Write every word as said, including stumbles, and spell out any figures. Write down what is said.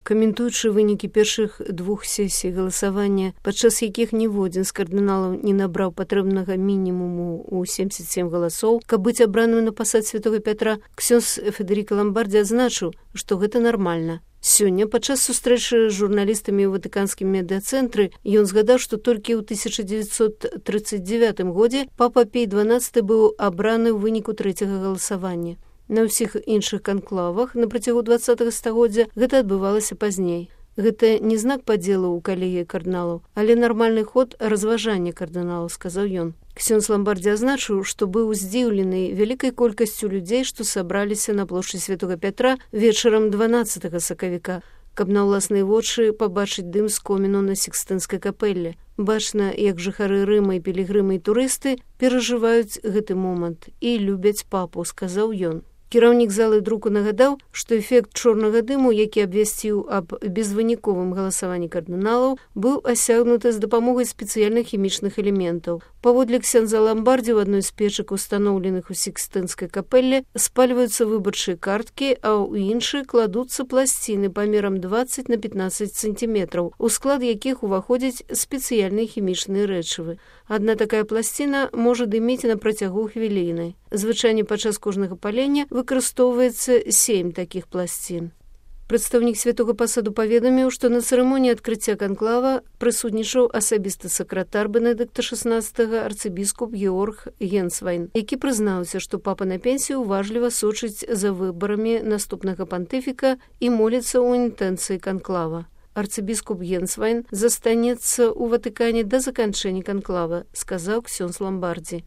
Каментуючы вынікі першых двух сесій галасавання, падчас якіх ніводзін з кардыналаў не набраў патрэбнага мінімуму ў семьдесят семь галасоў, каб быць абраным на пасад святога Пятра, ксёндз Федэрыка Ламбардзі адзначыў, што гэта нармальна. Сёння, падчас сустрэчы з журналістамі ў ватыканскім медыацэнтры, ён згадаў, што толькі ў тысяча дзевяцьсот тридцать девятым годзе папа Пій дванаццаты быў абраны ў выніку трэцяга галасавання. На ўсіх іншых канклавах на працягу двадцатага стагоддзя гэта адбывалася пазней. Гэта не знак падзелу ў калегіі кардыналаў, але нармальны ход разважання кардыналаў, сказаў ён. Ксёндз Ламбардзі азначыў, што быў здзіўлены вялікай колькасцю людзей, што сабраліся на плошчы святога Пятра вечарам дванаццатага сакавіка, каб на ўласныя вочы пабачыць дым з коміну на Сікстынскай капэлле. Бачна, як жыхары Рыма і пілігрымы і турысты перажываюць гэты момант і любяць папу, сказаў ён. Кіраўнік залы друку нагадаў, што эфект чорнага дыму, які абвясціў аб безвыніковым галасаванні кардыналаў, быў асягнуты з дапамогай спецыяльных хімічных элементаў. Паводле ксёндза Ламбардзі, у адной з печак, устаноўленых у Сікстынскай капэлле, спальваюцца выбарчыя карткі, а ў іншыя кладуцца пласціны памерам двадцать на пятнадцать сантиметраў, у склад якіх уваходзяць спецыяльныя хімічныя рэчывы. Адна такая пласціна можа дыміць на працягу хвіліны. Звычайна падчас кожнага палення выкарыстоўваецца сем такіх пласцін. Прадстаўнік святога пасаду паведаміў, што на цырымоніі адкрыцця канклава прысутнічаў асабісты сакратар Бенедыкта шаснаццатага арцыбіскуп Георг Генсвайн, які прызнаўся, што папа на пенсію уважліва сочыць за выбарамі наступнага пантыфіка і моліцца ў інтэнцыі канклава. Арцыбіскуп Генсвайн застанецца ў Ватыкане да заканчэння канклава, сказаў ксёндз Ламбардзі.